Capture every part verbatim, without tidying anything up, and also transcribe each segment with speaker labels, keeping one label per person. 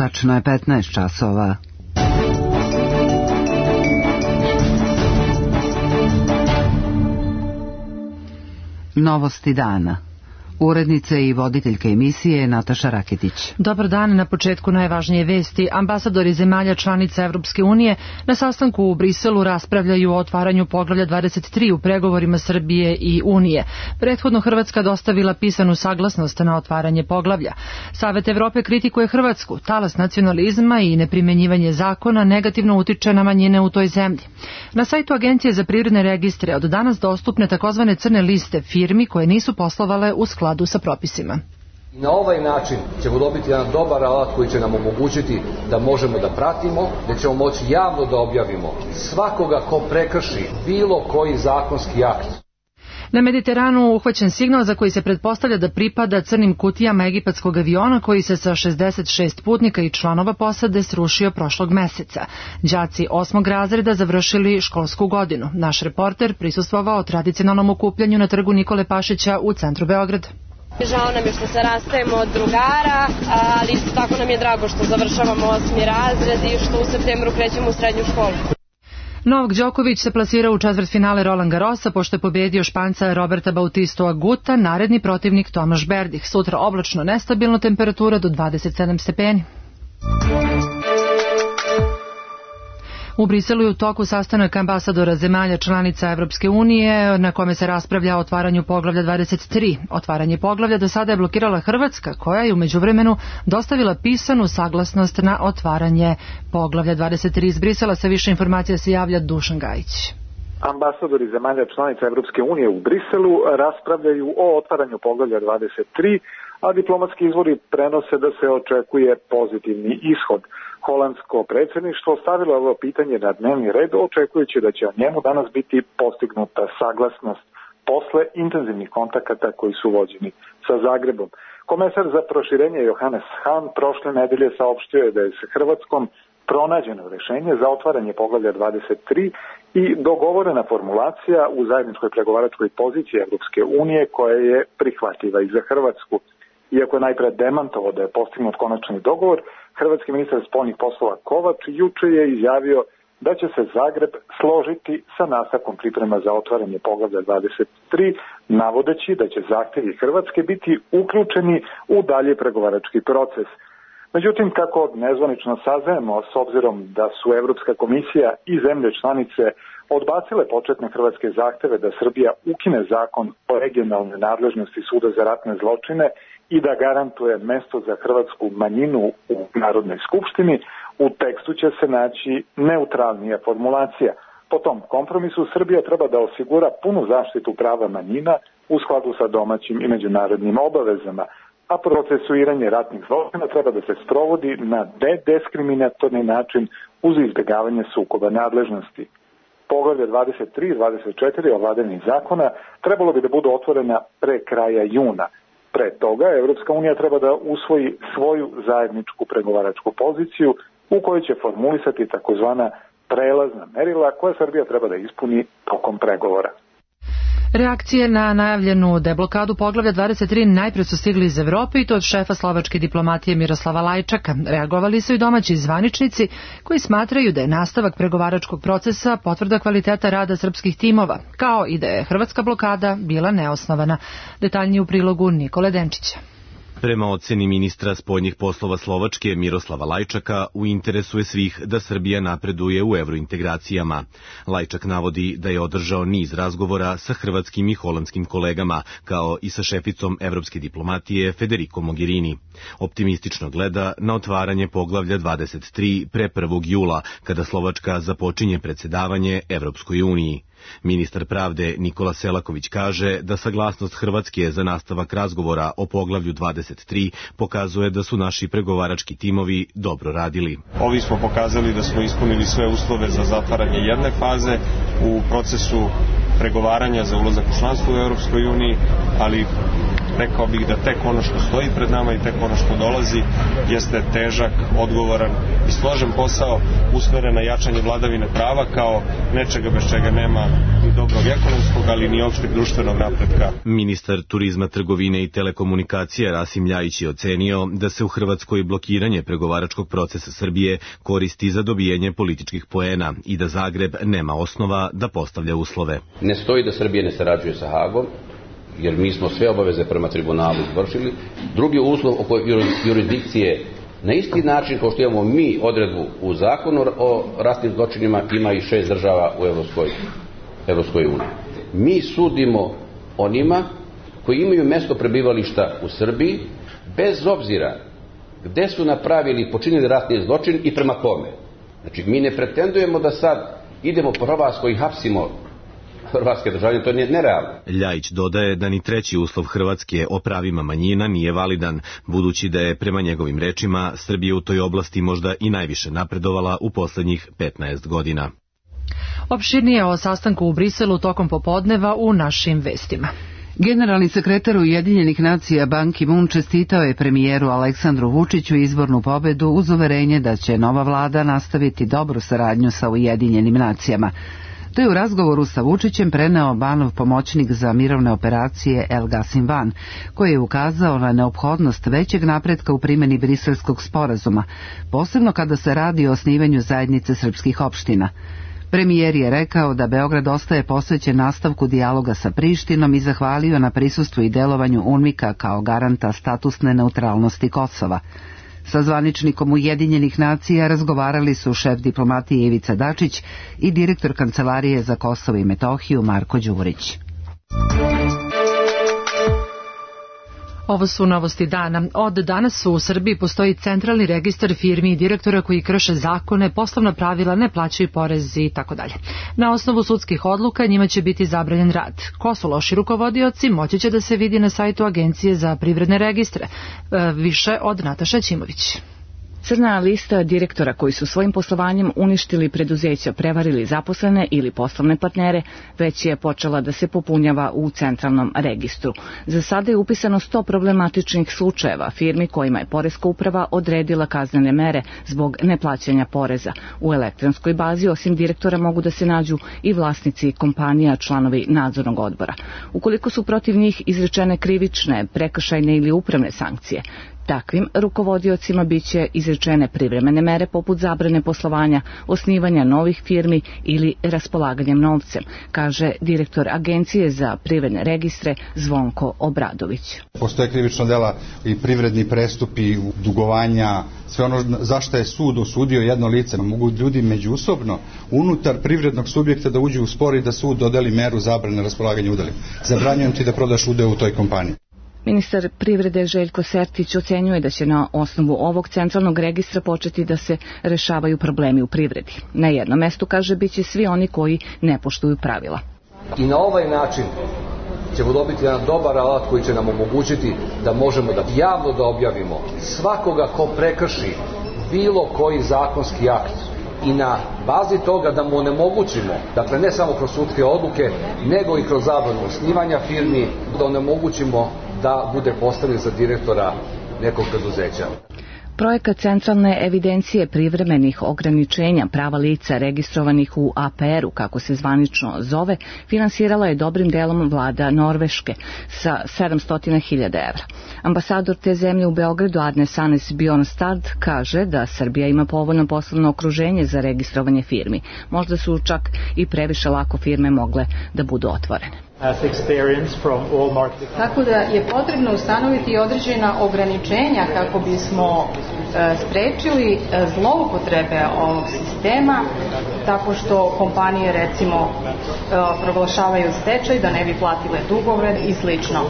Speaker 1: Tačno je petnaest časova. Novosti dana. Urednica i voditeljka emisije Nataša Raketić.
Speaker 2: Dobar dan, na početku najvažnije vesti. Ambasadori zemalja članica Evropske unije na sastanku u Briselu raspravljaju o otvaranju poglavlja dvadeset tri u pregovorima Srbije i Unije. Prethodno Hrvatska dostavila pisanu saglasnost na otvaranje poglavlja. Savet Evrope kritikuje Hrvatsku. Talas nacionalizma i neprimenjivanje zakona negativno utiče na manjine u toj zemlji. Na sajtu Agencije za privredne registre od danas dostupne takozvane crne liste firmi koje nisu poslovale u skladu sa propisima.
Speaker 3: Na ovaj način ćemo dobiti jedan dobar alat koji će nam omogućiti da možemo da pratimo, da ćemo moći javno da objavimo svakoga ko prekrši bilo koji zakonski akt.
Speaker 2: Na Mediteranu uhvaćen signal za koji se pretpostavlja da pripada crnim kutijama egipatskog aviona koji se sa šezdeset šest putnika i članova posade srušio prošlog meseca. Đaci osmog razreda završili školsku godinu. Naš reporter prisustvovao tradicionalnom okupljanju na trgu Nikole Pašića u centru Beograda.
Speaker 4: Žao nam je što se rastajemo od drugara, ali isto tako nam je drago što završavamo osmi razred i što u septembru krećemo u srednju školu.
Speaker 2: Novak Đoković se plasirao u četvrtfinale Roland Garrosa pošto je pobedio Španca Roberta Bautistu Aguta, naredni protivnik Tomaš Berdih. Sutra oblačno, nestabilno, temperatura do dvadeset sedam stepeni. U Briselu je u toku sastanak ambasadora zemalja članica Evropske unije na kome se raspravlja o otvaranju poglavlja dvadeset tri. Otvaranje poglavlja do sada je blokirala Hrvatska, koja je u međuvremenu dostavila pisanu saglasnost na otvaranje poglavlja dvadeset tri. Iz Brisela sa više informacija se javlja Dušan Gajić.
Speaker 5: Ambasadori zemalja članica Evropske unije u Briselu raspravljaju o otvaranju poglavlja dvadeset tri, a diplomatski izvori prenose da se očekuje pozitivni ishod. Holandsko predsjedništvo stavilo ovo pitanje na dnevni red, očekujući da će o njemu danas biti postignuta saglasnost posle intenzivnih kontakata koji su vođeni sa Zagrebom. Komesar za proširenje Johannes Hahn prošle nedelje saopštio je da je sa Hrvatskom pronađeno rešenje za otvaranje poglavlja dvadeset tri i dogovorena formulacija u zajedničkoj pregovaračkoj poziciji Evropske unije koja je prihvatljiva i za Hrvatsku. Iako je najpre demantovao da je postignut konačni dogovor, hrvatski ministar spoljnih poslova Kovač juče je izjavio da će se Zagreb složiti sa nastavkom priprema za otvaranje poglavlja dvadeset tri, navodeći da će zahtjevi Hrvatske biti uključeni u dalje pregovarački proces. Međutim, kako nezvanično saznajemo, s obzirom da su Evropska komisija i zemlje članice odbacile početne hrvatske zahteve da Srbija ukine zakon o regionalnoj nadležnosti Suda za ratne zločine i da garantuje mesto za hrvatsku manjinu u Narodnoj skupštini, u tekstu će se naći neutralnija formulacija. Po tom kompromisu Srbija treba da osigura punu zaštitu prava manjina u skladu sa domaćim i međunarodnim obavezama, a procesuiranje ratnih zločina treba da se sprovodi na nediskriminatorni način uz izbjegavanje sukoba nadležnosti. Poglavlje dvadeset tri i dvadeset četiri o vladavini zakona trebalo bi da budu otvorena pre kraja juna. Pre toga Evropska unija treba da usvoji svoju zajedničku pregovaračku poziciju u kojoj će formulisati takozvana prelazna merila koja Srbija treba da ispuni tokom pregovora.
Speaker 2: Reakcije na najavljenu deblokadu poglavlja dvadeset tri najpre su stigli iz Evrope i to od šefa slovačke diplomatije Miroslava Lajčaka. Reagovali su i domaći zvaničnici koji smatraju da je nastavak pregovaračkog procesa potvrda kvaliteta rada srpskih timova, kao i da je hrvatska blokada bila neosnovana. Detaljnije u prilogu Nikole Denčića.
Speaker 6: Prema oceni ministra spoljnih poslova Slovačke Miroslava Lajčaka, u interesu je svih da Srbija napreduje u evrointegracijama. Lajčak navodi da je održao niz razgovora sa hrvatskim i holandskim kolegama, kao i sa šeficom evropske diplomatije Federico Mogherini. Optimistično gleda na otvaranje poglavlja dvadeset tri pre prvog jula, kada Slovačka započinje predsedavanje Evropskoj uniji. Ministar pravde Nikola Selaković kaže da saglasnost Hrvatske za nastavak razgovora o poglavlju dvadeset tri pokazuje da su naši pregovarački timovi dobro radili.
Speaker 7: Ovi smo pokazali da smo ispunili sve uslove za zatvaranje jedne faze u procesu pregovaranja za ulazak u članstvo u Europskoj uniji, ali rekao bih da tek ono što stoji pred nama i tek ono što dolazi jeste težak, odgovoran i složen posao usmeren na jačanje vladavine prava kao nečega bez čega nema ni dobrog ekonomskog, ali ni opšteg društvenog napretka.
Speaker 6: Ministar turizma, trgovine i telekomunikacija Rasim Ljajić je ocenio da se u Hrvatskoj blokiranje pregovaračkog procesa Srbije koristi za dobijanje političkih poena i da Zagreb nema osnova da postavlja uslove.
Speaker 8: Ne stoji da Srbija ne sarađuje sa Hagom, jer mi smo sve obaveze prema tribunalu izvršili. Drugi uslov oko jurisdikcije, na isti način kao što imamo mi odredbu u zakonu o ratnim zločinima, ima i šest država u Evropskoj, Evropskoj uniji. Mi sudimo onima koji imaju mesto prebivališta u Srbiji, bez obzira gde su napravili i počinili ratni zločin i prema kome. Znači, mi ne pretendujemo da sad idemo po Hrvatskoj i hapsimo hrvatske državljane, to je nerealno.
Speaker 6: Ljajić dodaje da ni treći uslov Hrvatske o pravima manjina nije validan, budući da je, prema njegovim rečima, Srbija u toj oblasti možda i najviše napredovala u poslednjih petnaest godina.
Speaker 2: Opširnije o sastanku u Briselu tokom popodneva u našim vestima.
Speaker 1: Generalni sekretar Ujedinjenih nacija Ban Ki-moon čestitao je premijeru Aleksandru Vučiću izbornu pobedu uz uverenje da će nova vlada nastaviti dobru saradnju sa Ujedinjenim nacijama. To je u razgovoru sa Vučićem preneo Banov pomoćnik za mirovne operacije El Gassim Van, koji je ukazao na neophodnost većeg napretka u primjeni Briselskog sporazuma, posebno kada se radi o osnivanju zajednice srpskih opština. Premijer je rekao da Beograd ostaje posvećen nastavku dijaloga sa Prištinom i zahvalio na prisustvu i delovanju UNMIK-a kao garanta statusne neutralnosti Kosova. Sa zvaničnikom Ujedinjenih nacija razgovarali su šef diplomatije Ivica Dačić i direktor Kancelarije za Kosovo i Metohiju Marko Đurić.
Speaker 2: Ovo su novosti dana. Od danas u Srbiji postoji centralni registar firmi i direktora koji krše zakone, poslovna pravila, ne plaćaju porez i tako dalje. Na osnovu sudskih odluka njima će biti zabranjen rad. Ko su loši rukovodioci, moći će da se vidi na sajtu Agencije za privredne registre. E, više od Nataše Ćimović.
Speaker 9: Crna lista direktora koji su svojim poslovanjem uništili preduzeća, prevarili zaposlene ili poslovne partnere, već je počela da se popunjava u centralnom registru. Za sada je upisano sto problematičnih slučajeva firmi kojima je Poreska uprava odredila kaznene mere zbog neplaćanja poreza. U elektronskoj bazi osim direktora mogu da se nađu i vlasnici kompanija, članovi nadzornog odbora. Ukoliko su protiv njih izrečene krivične, prekršajne ili upravne sankcije, takvim rukovodiocima biće izrečene privremene mere poput zabrane poslovanja, osnivanja novih firmi ili raspolaganjem novcem, kaže direktor Agencije za privredne registre Zvonko Obradović.
Speaker 10: Postoje krivična dela i privredni prestupi, dugovanja, sve ono zašto je sud osudio jedno lice. Mogu ljudi međusobno unutar privrednog subjekta da uđu u spor i da sud dodeli meru zabrane raspolaganja udelima. Zabranjujem ti da prodaš udeo u toj kompaniji.
Speaker 9: Ministar privrede Željko Sertić ocenjuje da će na osnovu ovog centralnog registra početi da se rešavaju problemi u privredi. Na jednom mestu, kaže, biće svi oni koji ne poštuju pravila.
Speaker 3: I na ovaj način ćemo dobiti jedan dobar alat koji će nam omogućiti da možemo da javno da objavimo svakoga ko prekrši bilo koji zakonski akt i na bazi toga da mu onemogućimo, dakle ne samo kroz sudske odluke, nego i kroz zabranu osnivanja firmi, da onemogućimo da bude postavljen za direktora nekog preduzeća.
Speaker 9: Projekat centralne evidencije privremenih ograničenja prava lica registrovanih u A P R-u, kako se zvanično zove, finansirala je dobrim delom vlada Norveške sa sedamsto hiljada evra. Ambasador te zemlje u Beogradu Arne Sanes Bjornstad kaže da Srbija ima povoljno poslovno okruženje za registrovanje firmi. Možda su čak i previše lako firme mogle da budu otvorene.
Speaker 11: Tako da je potrebno ustanoviti određena ograničenja kako bismo e, sprečili e, zloupotrebe ovog sistema, tako što kompanije recimo e, proglašavaju stečaj da ne bi platile dugove i slično.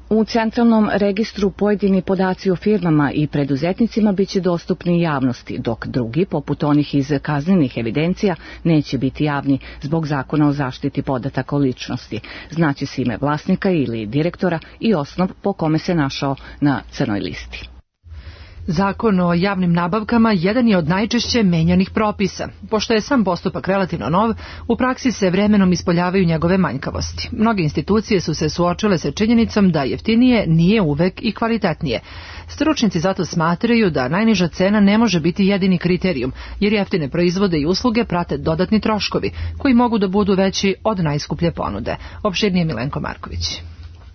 Speaker 9: U centralnom registru pojedini podaci o firmama i preduzetnicima biće dostupni javnosti, dok drugi, poput onih iz kaznenih evidencija, neće biti javni zbog zakona o zaštiti podataka o ličnosti. Znaće se ime vlasnika ili direktora i osnov po kome se našao na crnoj listi.
Speaker 2: Zakon o javnim nabavkama jedan je od najčešće menjanih propisa. Pošto je sam postupak relativno nov, u praksi se vremenom ispoljavaju njegove manjkavosti. Mnoge institucije su se suočile sa činjenicom da jeftinije nije uvek i kvalitetnije. Stručnjaci zato smatraju da najniža cena ne može biti jedini kriterijum, jer jeftine proizvode i usluge prate dodatni troškovi, koji mogu da budu veći od najskuplje ponude. Opširnije Milenko Marković.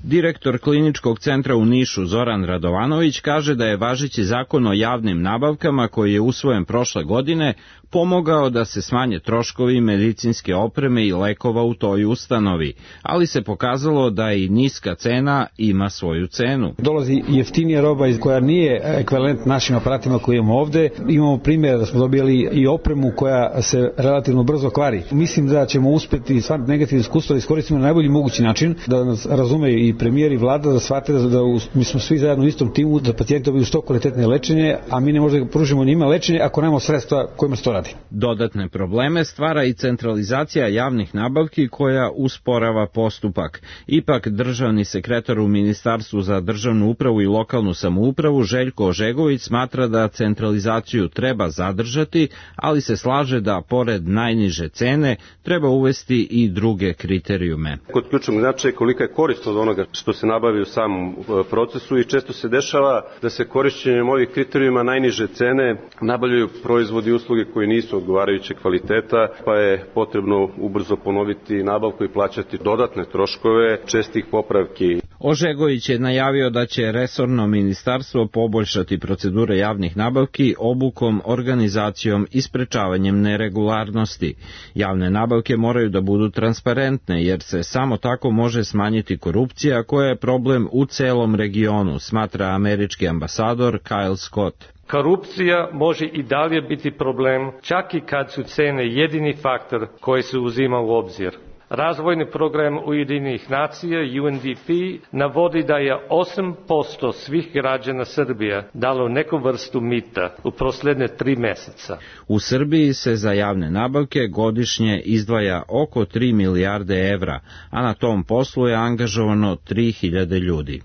Speaker 12: Direktor kliničkog centra u Nišu Zoran Radovanović kaže da je važeći zakon o javnim nabavkama koji je usvojen prošle godine pomogao da se smanje troškovi medicinske opreme i lekova u toj ustanovi, ali se pokazalo da i niska cena ima svoju cenu.
Speaker 13: Dolazi jeftinija roba koja nije ekvivalent našim aparatima koje imamo ovde. Imamo primjer da smo dobili i opremu koja se relativno brzo kvari. Mislim da ćemo uspeti sva negativne iskustva da iskoristimo na najbolji mogući način, da nas razumeju i premijer i vlada, da shvate da, da mi smo svi zajedno u istom timu, da pacijenti dobiju što kvalitetne lečenje, a mi ne možemo da pružimo njima lečenje ako nemamo sredstva kojima se to radi.
Speaker 12: Dodatne probleme stvara i centralizacija javnih nabavki koja usporava postupak. Ipak državni sekretar u Ministarstvu za državnu upravu i lokalnu samoupravu Željko Ožegović smatra da centralizaciju treba zadržati, ali se slaže da pored najniže cene treba uvesti i druge kriterijume.
Speaker 14: Kod ključnog značaja kolika je korist od onoga što se nabavi u samom procesu i često se dešava da se korišćenjem ovih kriterijuma najniže cene nabavljaju proizvodi i usluge koji nisu odgovarajuće kvaliteta, pa je potrebno ubrzo ponoviti nabavku i plaćati dodatne troškove čestih popravki.
Speaker 12: Ožegović je najavio da će resorno ministarstvo poboljšati procedure javnih nabavki obukom, organizacijom i sprečavanjem neregularnosti. Javne nabavke moraju da budu transparentne, jer se samo tako može smanjiti korupcija koja je problem u celom regionu, smatra američki ambasador Kyle Scott.
Speaker 15: Korupcija može i dalje biti problem, čak i kad su cene jedini faktor koji se uzima u obzir. Razvojni program Ujedinjenih nacija U N D P navodi da je osam posto svih građana Srbije dalo neku vrstu mita u posljednje tri meseca.
Speaker 12: U Srbiji se za javne nabavke godišnje izdvaja oko tri milijarde evra, a na tom poslu je angažovano tri hiljade ljudi.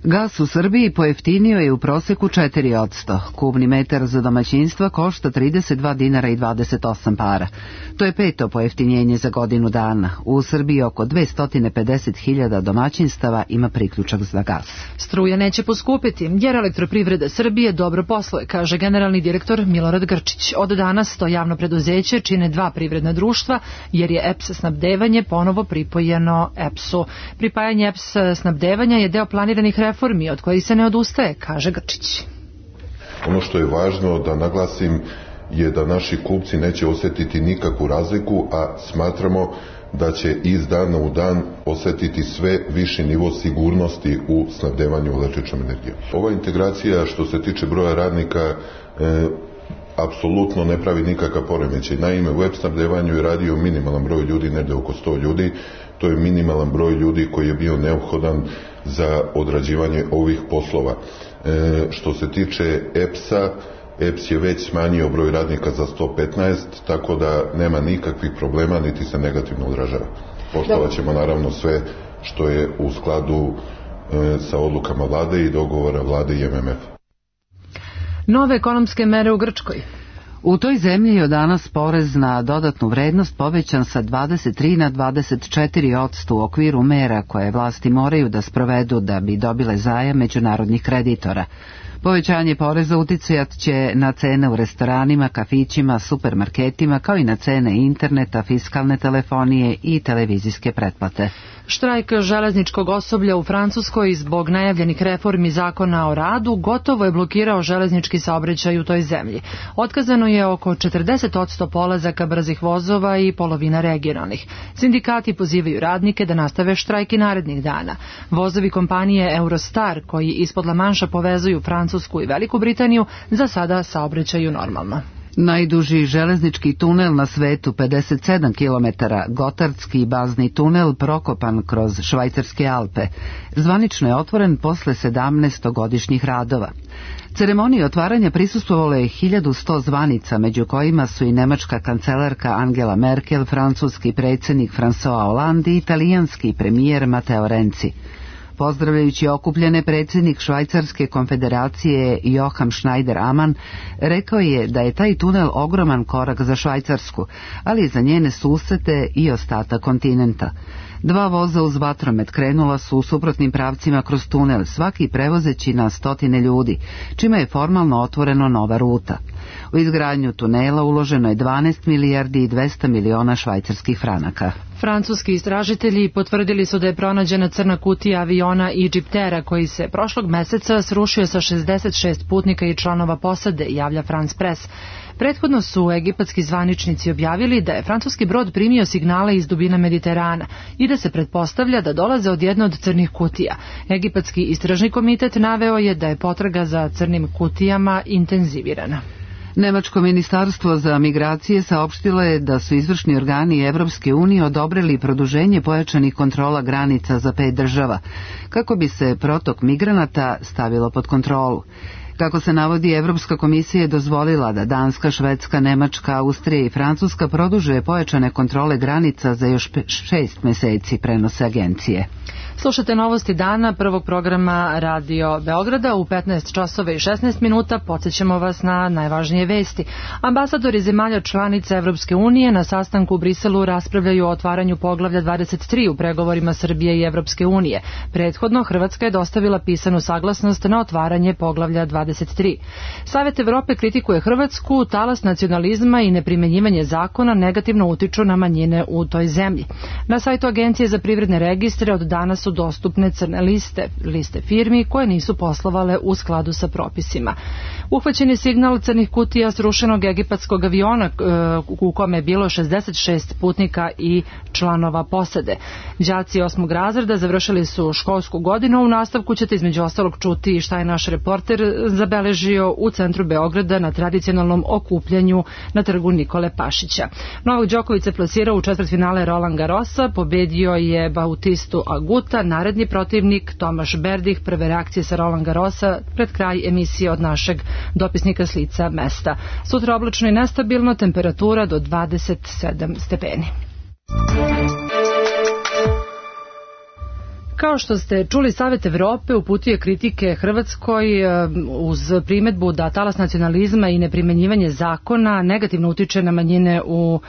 Speaker 1: Gas u Srbiji pojeftinio je u proseku četiri posto. Kubni metar za domaćinstva košta trideset dva dinara i dvadeset osam para. To je peto pojeftinjenje za godinu dana. U Srbiji oko dvesta pedeset hiljada domaćinstava ima priključak za gas.
Speaker 2: Struja neće poskupiti, jer Elektroprivreda Srbije dobro posluje, kaže generalni direktor Milorad Grčić. Od danas to javno preduzeće čine dva privredna društva, jer je E P S snabdevanje ponovo pripojeno E P S-u. Pripajanje E P S snabdevanja je deo planiranih reformi od kojih se ne odustaje, kaže Grčić.
Speaker 16: Ono što je važno da naglasim je da naši kupci neće osjetiti nikakvu razliku, a smatramo da će iz dana u dan osjetiti sve viši nivo sigurnosti u snabdevanju električnom energijom. Ova integracija što se tiče broja radnika e, apsolutno ne pravi nikakav poremećaj. Naime, u E P S snabdevanju je radio minimalan broj ljudi, negdje oko sto ljudi. To je minimalan broj ljudi koji je bio neophodan za odrađivanje ovih poslova. E, što se tiče E P S-a, E P S je već smanjio broj radnika za sto petnaest, tako da nema nikakvih problema, niti se negativno odražava. Poštovat ćemo naravno sve što je u skladu e, sa odlukama vlade i dogovora vlade i M M F.
Speaker 2: Nove ekonomske mere u Grčkoj.
Speaker 1: U toj zemlji je od danas porez na dodatnu vrednost povećan sa dvadeset tri na dvadeset četiri posto u okviru mera koje vlasti moraju da sprovedu da bi dobile zajam međunarodnih kreditora. Povećanje poreza uticajat će na cene u restoranima, kafićima, supermarketima, kao i na cene interneta, fiskalne telefonije i televizijske pretplate.
Speaker 2: Štrajk železničkog osoblja u Francuskoj zbog najavljenih reformi zakona o radu gotovo je blokirao železnički saobraćaj u toj zemlji. Otkazano je oko četrdeset posto polazaka brzih vozova i polovina regionalnih. Sindikati pozivaju radnike da nastave štrajk i narednih dana. Vozovi kompanije Eurostar, koji ispod La Manša povezuju Francusku i Veliku Britaniju, za sada saobraćaju normalno.
Speaker 1: Najduži železnički tunel na svetu, pedeset sedam kilometara, Gotardski bazni tunel prokopan kroz Švajcarske Alpe, zvanično je otvoren posle sedamnaestogodišnjih radova. Ceremoniji otvaranja prisustvovalo je hiljadu sto zvanica, među kojima su i nemačka kancelarka Angela Merkel, francuski predsjednik François Hollande i italijanski premijer Matteo Renzi. Pozdravljajući okupljene, predsjednik Švajcarske konfederacije Joachim Schneider-Ammann rekao je da je taj tunel ogroman korak za Švajcarsku, ali i za njene susete i ostatak kontinenta. Dva voza uz vatromet krenula su u suprotnim pravcima kroz tunel, svaki prevozeći na stotine ljudi, čime je formalno otvoreno nova ruta. U izgradnju tunela uloženo je dvanaest milijardi i dvesta miliona švajcarskih franaka.
Speaker 2: Francuski istražitelji potvrdili su da je pronađena crna kutija aviona Egyptera koji se prošlog meseca srušio sa šezdeset šest putnika i članova posade, javlja France Press. Prethodno su egipatski zvaničnici objavili da je francuski brod primio signale iz dubina Mediterana i da se pretpostavlja da dolaze od jedne od crnih kutija. Egipatski istražni komitet naveo je da je potraga za crnim kutijama intenzivirana.
Speaker 1: Nemačko ministarstvo za migracije saopštilo je da su izvršni organi Evropske unije odobrili produženje pojačanih kontrola granica za pet država, kako bi se protok migranata stavilo pod kontrolu. Kako se navodi, Evropska komisija je dozvolila da Danska, Švedska, Nemačka, Austrija i Francuska produže pojačane kontrole granica za još šest meseci, prenose agencije.
Speaker 2: Slušate novosti dana prvog programa Radio Beograda u petnaest časova i šesnaest minuta. Podsjećamo vas na najvažnije vesti. Ambasadori zemalja članica Evropske unije na sastanku u Briselu raspravljaju o otvaranju poglavlja dvadeset tri u pregovorima Srbije i Evropske unije. Prethodno Hrvatska je dostavila pisanu saglasnost na otvaranje poglavlja dvadeset tri. Savet Evrope kritikuje Hrvatsku, talas nacionalizma i neprimenjivanje zakona negativno utiču na manjine u toj zemlji. Na sajtu Agencije za privredne registre od danas su dostupne crne liste, liste firmi koje nisu poslovale u skladu sa propisima. Uhvaćen je signal crnih kutija srušenog egipatskog aviona u kome je bilo šezdeset šest putnika i članova posade. Đaci osmog razreda završili su školsku godinu. U nastavku ćete između ostalog čuti šta je naš reporter zabeležio u centru Beograda na tradicionalnom okupljanju na trgu Nikole Pašića. Novak Đoković se plasirao u četvrtfinale Roland Garrosa, pobedio je Bautistu Aguta, naredni protivnik Tomaš Berdih. Prve reakcije sa Roland Garrosa pred kraj emisije od našeg dopisnika s lica mesta. Sutra oblačno i nestabilno, temperatura do dvadeset sedam stepeni. Kao što ste čuli, Savet Evrope uputio kritike Hrvatskoj uz primedbu da talas nacionalizma i neprimenjivanje zakona negativno utiče na manjine u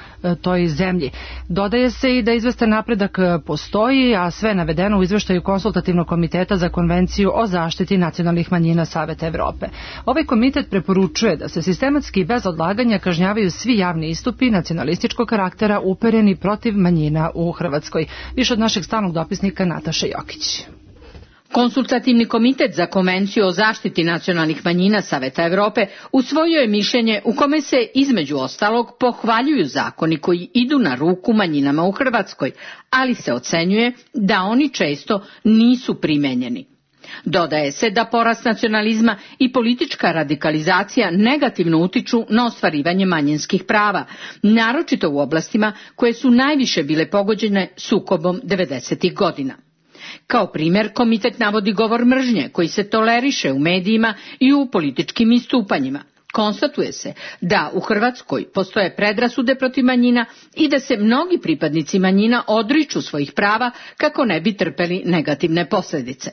Speaker 2: toj zemlji. Dodaje se i da izvestan napredak postoji, a sve navedeno u izveštaju Konsultativnog komiteta za konvenciju o zaštiti nacionalnih manjina Saveta Evrope. Ovaj komitet preporučuje da se sistematski i bez odlaganja kažnjavaju svi javni istupi nacionalističkog karaktera upereni protiv manjina u Hrvatskoj. Više od našeg stalnog dopisnika Nataše Jokić.
Speaker 17: Konsultativni komitet za konvenciju o zaštiti nacionalnih manjina Saveta Evrope usvojio je mišljenje u kome se između ostalog pohvaljuju zakoni koji idu na ruku manjinama u Hrvatskoj, ali se ocenjuje da oni često nisu primenjeni. Dodaje se da porast nacionalizma i politička radikalizacija negativno utiču na ostvarivanje manjinskih prava, naročito u oblastima koje su najviše bile pogođene sukobom devedesetih godina. Kao primjer, komitet navodi govor mržnje koji se toleriše u medijima i u političkim istupanjima. Konstatuje se da u Hrvatskoj postoje predrasude protiv manjina i da se mnogi pripadnici manjina odriču svojih prava kako ne bi trpeli negativne posljedice.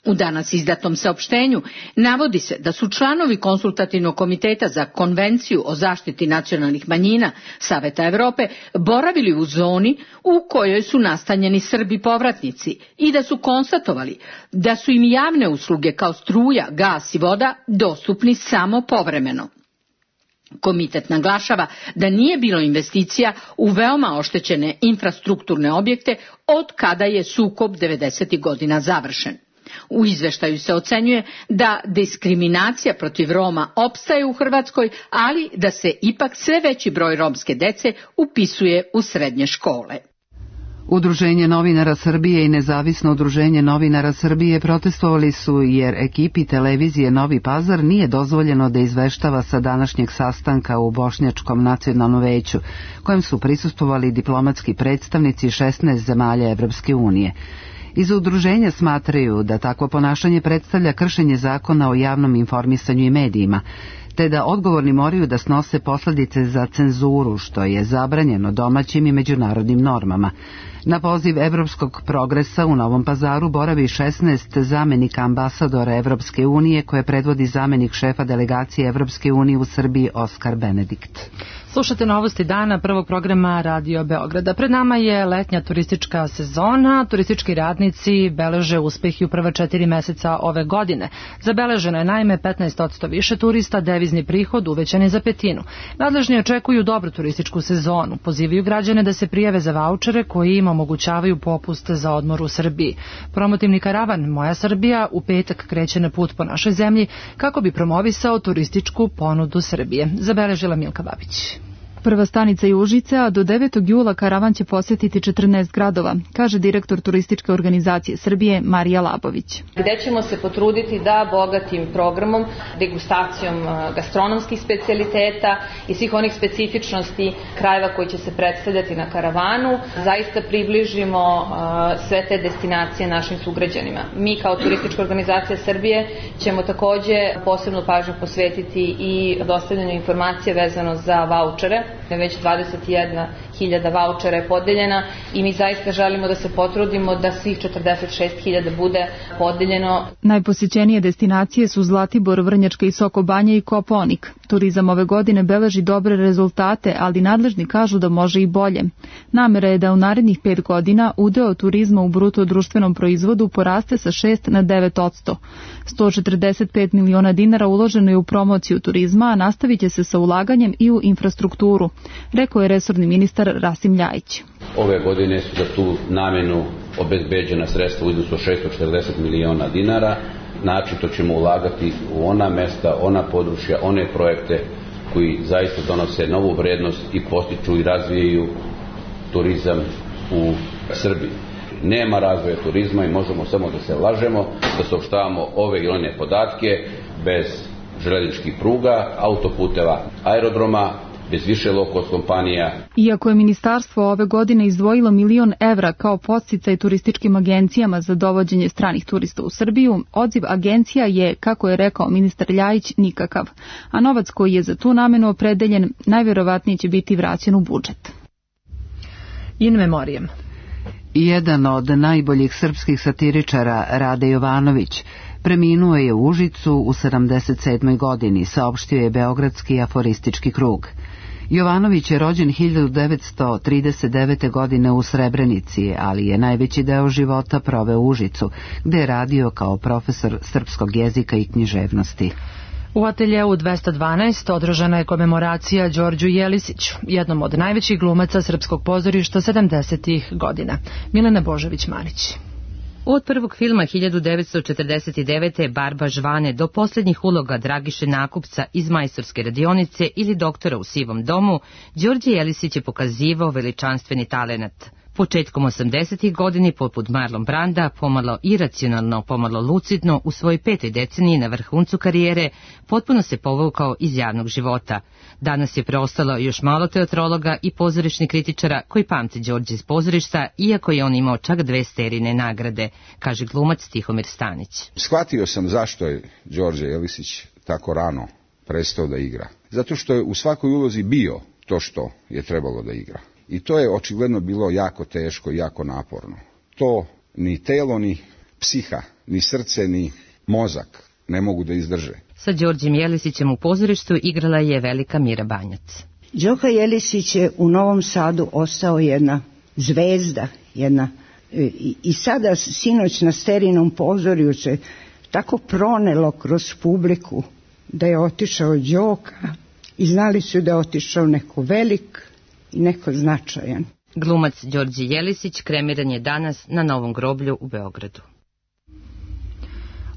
Speaker 17: U danas izdatom saopštenju navodi se da su članovi Konsultativnog komiteta za konvenciju o zaštiti nacionalnih manjina Saveta Evrope boravili u zoni u kojoj su nastanjeni Srbi povratnici i da su konstatovali da su im javne usluge kao struja, gas i voda dostupni samo povremeno. Komitet naglašava da nije bilo investicija u veoma oštećene infrastrukturne objekte od kada je sukob devedesetih godina završen. U izveštaju se ocenjuje da diskriminacija protiv Roma opstaje u Hrvatskoj, ali da se ipak sve veći broj romske dece upisuje u srednje škole.
Speaker 1: Udruženje novinara Srbije i Nezavisno udruženje novinara Srbije protestovali su jer ekipi televizije Novi Pazar nije dozvoljeno da izveštava sa današnjeg sastanka u Bošnjačkom nacionalnom veću, kojem su prisustvovali diplomatski predstavnici šesnaest zemalja Evropske unije. Iz udruženja smatraju da takvo ponašanje predstavlja kršenje zakona o javnom informisanju i medijima, te da odgovorni moraju da snose posledice za cenzuru, što je zabranjeno domaćim i međunarodnim normama. Na poziv Evropskog progresa u Novom Pazaru boravi šesnaest zamenika ambasadora Evropske unije koje predvodi zamenik šefa delegacije Evropske unije u Srbiji Oskar Benedikt.
Speaker 2: Slušate novosti dana prvog programa Radio Beograda. Pred nama je letnja turistička sezona. Turistički radnici beleže uspehi u prva četiri meseca ove godine. Zabeleženo je naime petnaest posto više turista, devizni prihod uvećan je za petinu. Nadležni očekuju dobru turističku sezonu. Pozivaju građane da se prijave za vaučere koji im omogućavaju popust za odmor u Srbiji. Promotivni karavan Moja Srbija u petak kreće na put po našoj zemlji kako bi promovisao turističku ponudu Srbije. Zabeležila Milka Babić.
Speaker 18: Prva stanica je Užice, a do devetog jula karavan će posjetiti četrnaest gradova, kaže direktor Turističke organizacije Srbije Marija Labović.
Speaker 19: Gde ćemo se potruditi da bogatim programom, degustacijom gastronomskih specijaliteta i svih onih specifičnosti krajeva koji će se predstavljati na karavanu, zaista približimo sve te destinacije našim sugrađanima. Mi kao Turistička organizacija Srbije ćemo takođe posebnu pažnju posvetiti i dostavljanju informacije vezano za vaučere. Već dvadeset jedna hiljada vaučera je podeljena i mi zaista želimo da se potrudimo da svih četrdeset šest hiljada bude podeljeno.
Speaker 18: Najposjećenije destinacije su Zlatibor, Vrnjačka i Sokobanja i Kopaonik. Turizam ove godine beleži dobre rezultate, ali nadležni kažu da može i bolje. Namera je da u narednih pet godina udeo turizma u bruto društvenom proizvodu poraste sa šest na devet posto. sto četrdeset pet miliona dinara uloženo je u promociju turizma, a nastavit će se sa ulaganjem i u infrastrukturu, rekao je resorni ministar Rasim Ljajić.
Speaker 8: Ove godine su za tu namenu obezbeđena sredstva u iznosu šesto četrdeset miliona dinara. Način to ćemo ulagati u ona mesta, ona područja, one projekte koji zaista donose novu vrednost i postiču i razvijaju turizam u Srbiji. Nema razvoja turizma i možemo samo da se lažemo, da saopštavamo ove ili one podatke bez železničkih pruga, autoputeva, aerodroma, bez više low-cost kompanija.
Speaker 18: Iako je ministarstvo ove godine izdvojilo milion evra kao podsticaj turističkim agencijama za dovođenje stranih turista u Srbiju, odziv agencija je, kako je rekao ministar Ljajić, nikakav, a novac koji je za tu namenu opredeljen najverovatnije će biti vraćen u budžet.
Speaker 2: In memoriam.
Speaker 1: Jedan od najboljih srpskih satiričara, Rade Jovanović, preminuo je u Užicu u sedamdeset sedmoj godini, saopštio je Beogradski aforistički krug. Jovanović je rođen hiljadu devetsto trideset devete. godine u Srebrenici, ali je najveći deo života proveo u Užicu, gde je radio kao profesor srpskog jezika i književnosti.
Speaker 2: U ateljeu dvesta dvanaest održana je komemoracija Đorđu Jelisiću, jednom od najvećih glumaca srpskog pozorišta sedamdesetih godina. Milena Božović-Marić.
Speaker 20: Od prvog filma hiljadu devetsto četrdeset devete. Barba Žvane do posljednjih uloga Dragiše Nakupca iz Majstorske radionice ili Doktora u sivom domu, Đorđe Jelisić je pokazivao veličanstveni talenat. Početkom osamdesetih godini, poput Marlon Branda, pomalo iracionalno, pomalo lucidno, u svojoj petoj deceniji na vrhuncu karijere, potpuno se povukao iz javnog života. Danas je preostalo još malo teatrologa i pozorišnih kritičara koji pamte Đorđe iz pozorišta, iako je on imao čak dve Sterine nagrade, kaže glumac Tihomir Stanić.
Speaker 21: Shvatio sam zašto je Đorđe Jelisić tako rano prestao da igra. Zato što je u svakoj ulozi bio to što je trebalo da igra. I to je očigledno bilo jako teško i jako naporno. To ni telo, ni psiha, ni srce, ni mozak ne mogu da izdrže.
Speaker 20: Sa Đorđem Jelisićem u pozorištu igrala je velika Mira Banjac.
Speaker 22: Đoka Jelisić je u Novom Sadu ostao jedna zvezda, jedna, i, i sada sinoć na Sterinom pozorju se tako pronelo kroz publiku da je otišao Đoka i znali su da je otišao neko velik i neko značajan.
Speaker 20: Glumac Đorđe Jelisić kremiran je danas na Novom groblju u Beogradu.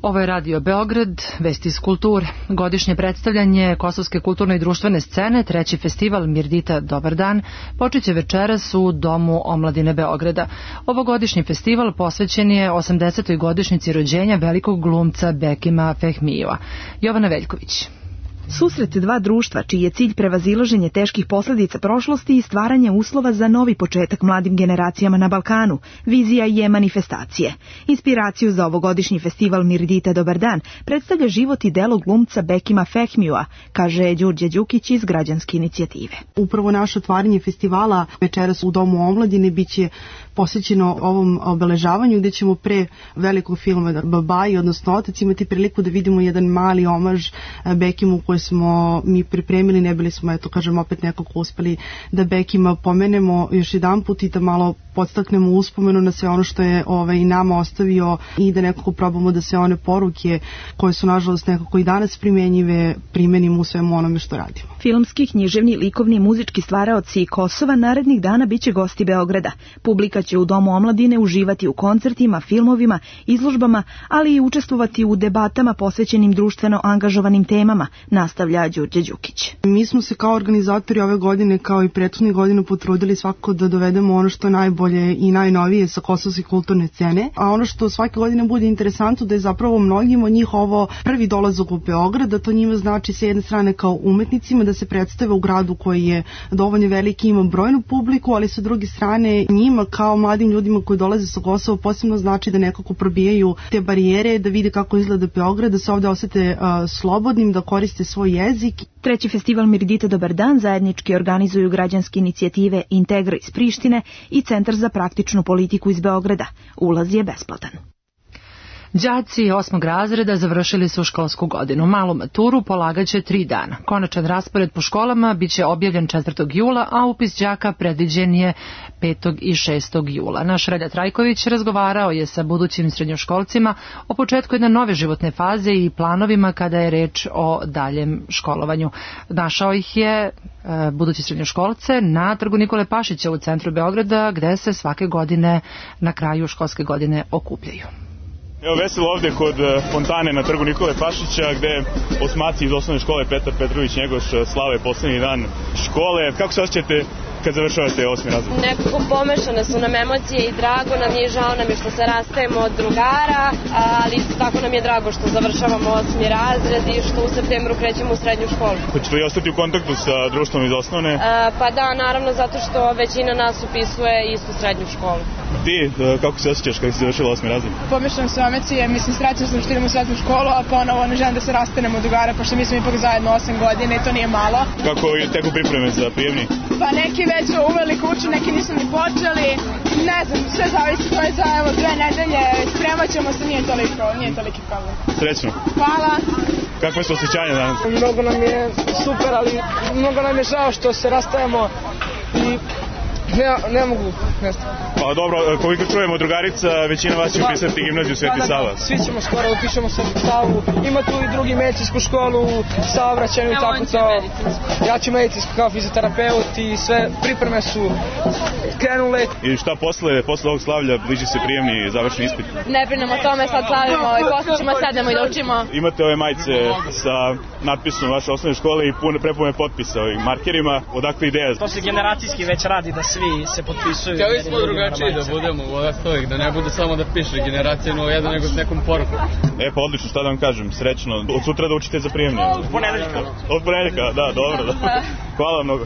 Speaker 2: Ovo je Radio Beograd, vesti iz kulture. Godišnje predstavljanje kosovske kulturne i društvene scene, treći festival Mirdita Dobar dan, počeće večeras u Domu omladine Beograda. Ovogodišnji festival posvećen je osamdesetoj godišnjici rođenja velikog glumca Bekima Fehmijeva. Jovana Veljković.
Speaker 4: Susret dva društva, čiji je cilj prevazilaženje teških posljedica prošlosti i stvaranje uslova za novi početak mladim generacijama na Balkanu, vizija je manifestacije. Inspiraciju za ovogodišnji festival Mirdita Dobar dan predstavlja život i delo glumca Bekima Fehmija, kaže Đurđe Đukić iz Građanske inicijative.
Speaker 5: Upravo naše otvaranje festivala večeras u Domu omladine biće posvećeno ovom obeležavanju, gdje ćemo pre velikog filma Babaji, odnosno Otac, imati priliku da vidimo jedan mali omaž Bekimu koji smo mi pripremili. Ne bili smo, eto kažem, opet nekako uspeli da Bekima pomenemo još jedan put i da malo podstaknemo uspomenu na sve ono što je ovaj, nama ostavio i da nekako probamo da se one poruke koje su nažalost nekako i danas primjenjive primenimo u svemu onome što radimo.
Speaker 4: Filmski, književni, likovni i muzički stvaraoci Kosova narednih dana biće gosti Beograda. Publika će u Domu omladine uživati u koncertima, filmovima, izložbama, ali i učestvovati u debatama posvećenim društveno angažovanim temama, nastavlja Đurđe Đukić.
Speaker 5: Mi smo se kao organizatori ove godine, kao i prethodnih godina, potrudili svako da dovedemo ono što je najbolje i najnovije sa kosovske kulturne scene, a ono što svake godine bude interesantno da je zapravo mnogim od njih ovo prvi dolazak u Beograd, da to njima znači sa jedne strane kao umetnicima da se predstave u gradu koji je dovoljno veliki, ima brojnu publiku, ali sa druge strane njima kao mladim ljudima koji dolaze sa Kosova posebno znači da nekako probijaju te barijere, da vide kako izgleda Beograd, da se ovde osete uh, slobodnim, da koriste svoj jezik.
Speaker 4: Treći festival Mirdita Dobar dan zajednički organizuju Građanske inicijative Integra iz Prištine i Centar za praktičnu politiku iz Beograda. Ulaz je besplatan.
Speaker 2: Đaci osmog razreda završili su školsku godinu. Malu maturu polagaće tri dana. Konačan raspored po školama biće objavljen četvrtog jula, a upis đaka predviđen je petog i šestog jula. Naš Relja Trajković razgovarao je sa budućim srednjoškolcima o početku jedne nove životne faze i planovima kada je reč o daljem školovanju. Našao ih je e, budući srednjoškolce na Trgu Nikole Pašića u centru Beograda, gde se svake godine na kraju školske godine okupljaju.
Speaker 23: Evo veselo ovde kod fontane na Trgu Nikole Pašića, gde osmaci iz osnovne škole Petar Petrović Njegoš slave poslednji dan škole. Kako se osjećate kad završavate osmi razred?
Speaker 24: Nekako pomešane su nam emocije i drago nam je, žao nam je što se rastajemo od drugara, ali isto tako nam je drago što završavamo osmi razred i što u septembru krećemo u srednju školu.
Speaker 23: Hoćete li ostati u kontaktu sa društvom iz osnovne?
Speaker 24: A, pa da, naravno, zato što većina nas upisuje istu srednju školu.
Speaker 23: Ti, kako se osjećaš kada si završila osmi razred?
Speaker 25: Pomešane su emocije, mislim, srećna sam što idemo u srednju školu, a ponovo ne želim da se rastanemo od drugara, pošto mi smo ipak zajedno osam godina i to nije malo.
Speaker 23: Kako teku pripreme za prijemni?
Speaker 25: Pa neki već uveli kuću, neki nisu ni počeli, ne znam, sve zavisi, to je za evo dve nedelje, spremat ćemo se, nije toliko, nije toliki problem.
Speaker 23: Srećno.
Speaker 25: Hvala.
Speaker 23: Kakve su osjećanja danas?
Speaker 25: Mnogo nam je super, ali mnogo nam je žao što se rastajemo i ne, ne mogu, ne znam.
Speaker 23: Pa dobro, koliko čujemo drugarica, većina vas će upisati gimnaziju Sveti Sava.
Speaker 25: Da, da, svi ćemo skoro upišemo Sveti Savu, ima tu i drugi medicinsku školu, saobraćajnu i tako to. Ja ću medicinsku kao fizioterapeut i sve pripreme su krenule.
Speaker 23: I šta posle, posle ovog slavlja, bliži se prijemni završni ispit?
Speaker 24: Ne brinemo o tome, sad slavimo i posle ćemo sednemo i da učimo.
Speaker 23: Imate ove majice sa natpisom vaše osnovne škole i pune, prepune potpisa ovim markerima, odakle ideja?
Speaker 26: To se generacijski već radi da svi se potpisuju.
Speaker 27: Htjeli smo drugačiji da budemo u ovak stojih, da ne bude samo da piše generacija nula jedan, nego s nekom porukom.
Speaker 23: E pa odlično, šta da vam kažem, srećno. Od sutra da učite za prijemni.
Speaker 26: Od ponedeljka.
Speaker 23: Od ponedeljka, da, dobro. Da. Hvala mnogo.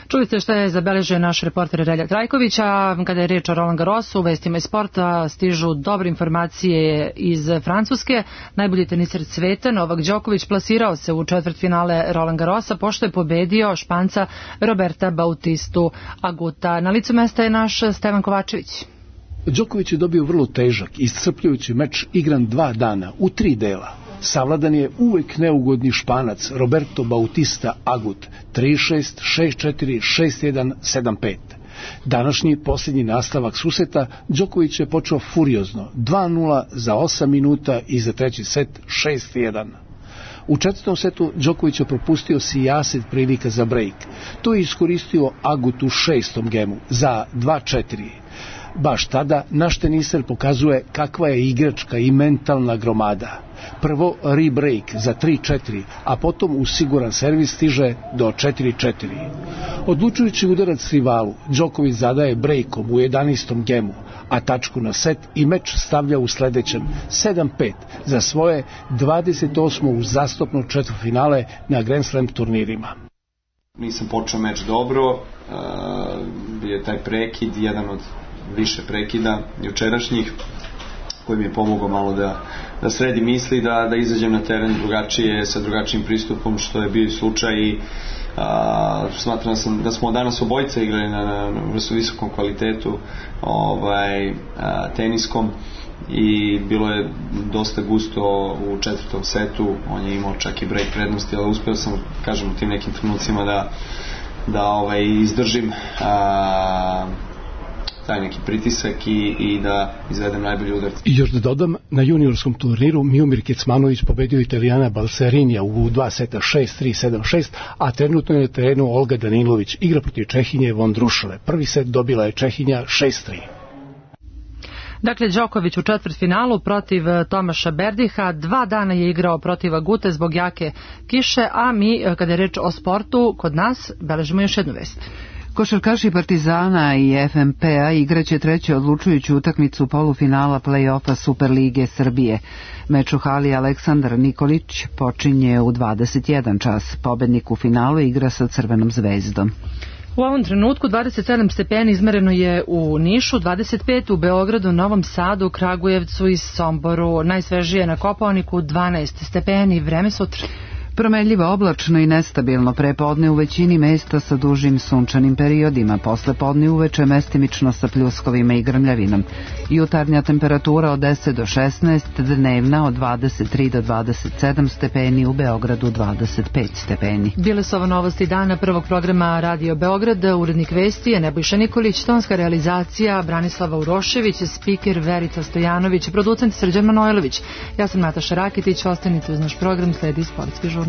Speaker 2: Čuli ste šta je zabeležio naš reporter Relja Trajković, a kada je reč o Roland Garrosu, u vestima iz sporta stižu dobre informacije iz Francuske. Najbolji teniser sveta, Novak Đoković, plasirao se u četvrtfinale Roland Garrosa, pošto je pobedio Španca Roberta Bautistu Aguta. Na licu mesta je naš Stevan Kovačević.
Speaker 28: Đoković je dobio vrlo težak, iscrpljujući meč igran dva dana, u tri dela. Savladan je uvek neugodni Španac Roberto Bautista Agut, tri šest, šest četiri, šest jedan, sedam pet. Današnji posljednji nastavak susreta Đoković je počeo furiozno, dva nula za osam minuta i za treći set šest jedan. U četvrtom setu Đoković je propustio sijaset prilika za break. To je iskoristio Agut u šestom gemu za dva četiri. Baš tada naš teniser pokazuje kakva je igračka i mentalna gromada. Prvo re-break za tri četiri, a potom uz siguran servis stiže do četiri četiri. Odlučujući udarac rivalu, Đoković zadaje brejkom u jedanaestom gemu, a tačku na set i meč stavlja u sledećem sedam pet za svoje dvadeset osmo uzastopno četvrtfinale na Grand Slam turnirima.
Speaker 3: Nisam počeo meč dobro, bio je taj prekid, jedan od više prekida jučerašnjih, koji mi je pomogao malo da, da sredi misli, da, da izađem na teren drugačije, sa drugačijim pristupom, što je bio slučaj i a, smatram sam da smo danas obojica igrali na, na, na visokom kvalitetu ovaj, a, teniskom i bilo je dosta gusto u četvrtom setu, on je imao čak i break prednosti, ali uspeo sam, kažem, u tim nekim trenucima da, da ovaj, izdržim a, taj neki pritisak i, i da izvedem najbolji udarac.
Speaker 28: I još da dodam, na juniorskom turniru Miomir Kecmanović pobedio Italijana Balserinija u dva seta šest tri sedam šest, a trenutno je na terenu Olga Danilović, igra protiv Čehinje Vondrušale. Prvi set dobila je Čehinja šest tri.
Speaker 2: Dakle, Đoković u četvrtfinalu protiv Tomaša Berdiha, dva dana je igrao protiv Agute zbog jake kiše, a mi, kada je reč o sportu, kod nas beležimo još jednu vest.
Speaker 1: Košarkaši Partizana i F M P-a igraće treću odlučujuću utakmicu polufinala play-offa Superlige Srbije. Meč u hali Aleksandar Nikolić počinje u dvadeset jedan čas. Pobednik u finalu igra sa Crvenom zvezdom.
Speaker 2: U ovom trenutku dvadeset sedam stepeni izmereno je u Nišu, dvadeset pet u Beogradu, Novom Sadu, Kragujevcu i Somboru. Najsvežije na Kopaoniku dvanaest stepeni. Vreme sutra.
Speaker 1: Promenljivo, oblačno i nestabilno prepodne u većini mesta sa dužim sunčanim periodima, posle podne uveče mestimično sa pljuskovima i grmljavinom. Jutarnja temperatura od deset do šesnaest, dnevna od dvadeset tri do dvadeset sedam stepeni, u Beogradu dvadeset pet stepeni.
Speaker 2: Bile su ovo novosti dana prvog programa Radio Beograd, urednik vesti je Nebojša Nikolić, tonska realizacija Branislava Urošević, spiker Verica Stojanović, producent Srđan Manojlović. Ja sam Nataša Rakitić, ostanite uz naš program, sledi sportski žurnal.